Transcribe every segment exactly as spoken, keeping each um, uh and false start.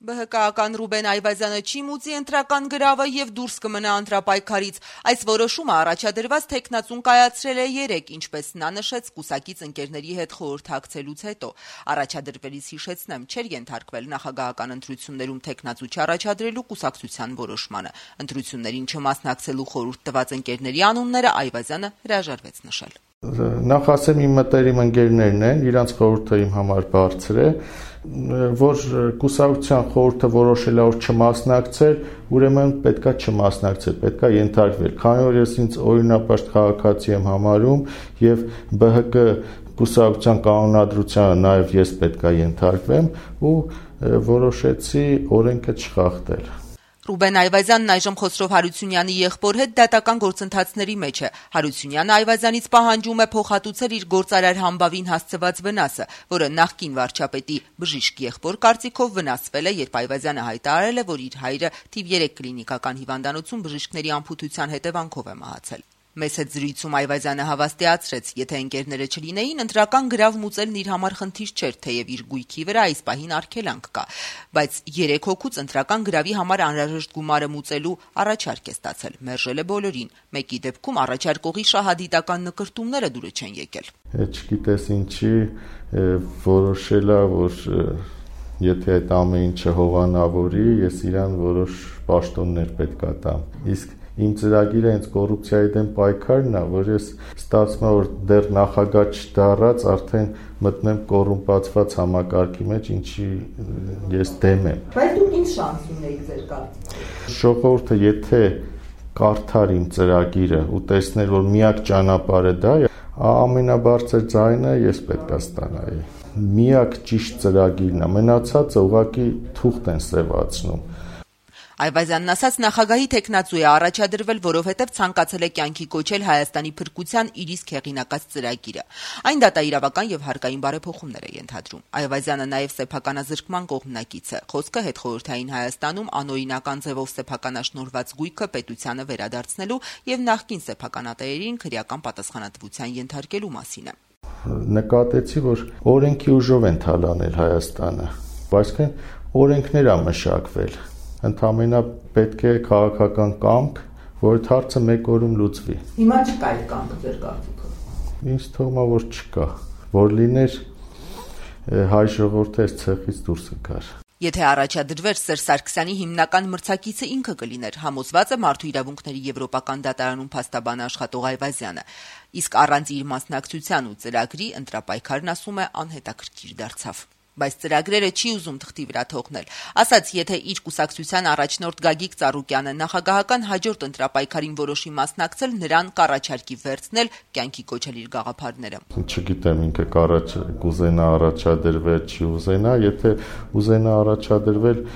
ԲՀԿ-ական Ռուբեն Այվազյանը չի մուծի ընտրական գրավը եւ դուրս կմնա ընտրապայքարից։ Այս որոշումը առաջադրված թեկնածուն կայացրել է երեկ, ինչպես նա նշեց կուսակից ընկերների հետ խորհրդակցելուց հետո։ Առաջադրվելիս հիշեցնեմ, չէր ենթարկվել նախագահական ընտրություններում թեկնածու չառաջադրելու կուսակցության որոշմանը։ Ընտրություններին չմասնակցելու խորհուրդ տված ընկերների անունները Այվազյանը հրաժարվեց նշել։ Նախ ասեմ, իմ մտերիմ ընկերներն են, իրանց խորհուրդը իմ համար բարձր է, որ կուսակցության խորհուրդը որոշել է որ չմասնակցել, ուրեմն պետքա չմասնակցել, պետքա ենթարկվել, քանի որ ես ինձ օրինապաշտ քաղաքացի եմ համարում եւ ԲՀԿ կուսակցության կանոնադրությանը նաեւ ես պետքա ենթարկվեմ ու որոշեցի օրենքը չխախտել։ Ռուբեն Այվազյանն այժմ Խոսրով Հարությունյանի եղբոր հետ դատական գործընթացների մեջ է։ Հարությունյանը Այվազյանից պահանջում է փոխհատուցել իր գործարար համբավին հասցված վնասը, որը նախկին վարչապետի բժիշկ եղբոր կարծիքով վնասվել է, երբ Այվազյանը հայտարարել է, որ իր հայրը թիվ երեք կլինիկական հիվանդանոցում բժիշկների ամփոփության հետևանքով է մահացել։ Մեծ հետ զրույցում Այվազյանը հավաստիացրեց, եթե ընկերները չլինեին, ընտրական գրավ մուծելն իր համար խնդիր չէր, թեև իր գույքի վրա այս պահին արգելանք կա, բայց երեք հոգուց ընտրական գրավի համար անհրաժեշտ գումարը մուծելու առաջարկ է ստացել, մերժել է բոլորին։ Մեկի դեպքում առաջարկողի շահադիտական նկրտումները դուրը չեն եկել։ Չգիտես ինչի որոշել է, որ եթե այդ ամեն ինչը հովանավորի, ես իրան որոշ պաշտոններ պետք է տամ։ Իսկ իմ ծրագիրը հենց կոռուպցիայի դեմ պայքարն է, որ ես ստացվում է որ դեռ նախագահ չդառած արդեն մտնեմ կոռումպացված համակարգի մեջ, ինչի ես դեմ եմ։ Բայց դուք ինչ շանս ունեիք ձեր կարծիքով։ Ժողովուրդը եթե կարդար իմ ծրագիրը ու տեսներ, որ միակ ճանապարհը դա է, ամենաբարձր ձայնը ես պետք է ստանայի։ Միակ ճիշտ ծրագիրն է, մնացածը ուղղակի թուղթ են սևացնում։ Այվազյանն ասաց, նախագահի թեկնածու է առաջադրվել, որովհետև ցանկացել է կյանքի կոչել Հայաստանի փրկության իր իսկ հեղինակած ծրագիրը։ Այն դատաիրավական եւ հարկային բարեփոխումներ է ենթադրում։ Այվազյանը նաեւ սեփականազրկման կողմնակից է։ Խոսքը հետխորհրդային Հայաստանում անօրինական ձևով սեփականաշնորհված գույքը պետությանը վերադարձնելու եւ նախկին սեփականատերերին քրեական պատասխանատվության ենթարկելու մասին է։ Նկատեցի, որ օրենքի ուժով են թալանել Հայաստանը, այսինքն օրենքներ է մշակվել։ Ընդամենը պետք է քաղաքական կամք, որ այդ հարցը մեկ օրում լուծվի։ Հիմա չկա այդ կամքը ձեր կարծիքով։ Ինձ թվում է, որ չկա, որ լիներ հայ ժողովուրդը այս ցեղից դուրս գար։ Եթե առաջադրվեր Սերժ Սարգսյանի հիմնական մրցակիցը ինքը կլիներ, համոզված է Մարդու իրավունքների եվրոպական դատարանում փաստաբան աշխատող Այվազյանը, իսկ առանց իր մասնակցության ու ծրագրի ընտրապայքարն ասում է անհետաքրքիր դարձավ։ Բայց ծրագրերը չի ուզում թղթի վրա թողնել։ Ասաց, եթե իր կուսակցության առաջնորդ Գագիկ Ծառուկյանը նախագահական հաջորդ ընտրապայքարին որոշի մասնակցել, նրան կառաջարկի վերցնել կյանքի կոչել իր գաղափարները։ Չգիտեմ ինքը կառաջ կուզենա առաջադրվել, չի ուզենա, եթե ուզենա առաջադրվել,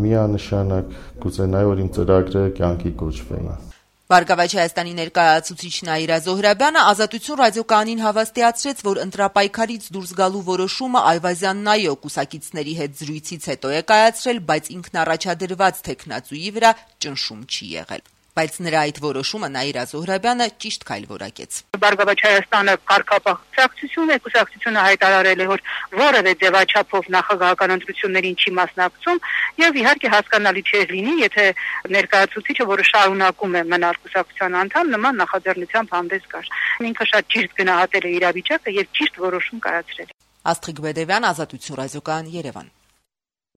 միանշանակ կուզենայի, որ իմ ծրագրերը կյանքի կոչվեին։ Բարգավաճ Հայաստանի ներկայացուցիչ Նաիրա Զոհրաբյանը Ազատություն ռադիոկայանին հավաստիացրեց, որ ընտրապայքարից դուրս գալու որոշումը Այվազյանն այո կուսակիցների հետ զրույցից հետո է կայացրել, բայց ինքնառաջադրված թեկնածուի վրա ճնշում չի եղել։ Բայց նրա այդ որոշումը Նաիրա Զոհրաբյանը ճիշտ քայլ որակեց։ Բարգավաճ Հայաստանը կարգապահ կուսակցություն է, կուսակցությունը հայտարարել է, որ որևէ ձևաչափով նախագահական ընտրություններին չի մասնակցում, եւ իհարկե հասկանալի չէ լինի, եթե ներկայացուցիչը, որը շարունակում է մնալ կուսակցության անդամ, նման նախաձեռնությամբ հանդես գար։ Ինքը շատ ճիշտ գնահատել է իրավիճակը եւ ճիշտ որոշում կայացրել։ Աստղիկ Բեդևյան, Ազատություն ռադիոկայան, Երևան։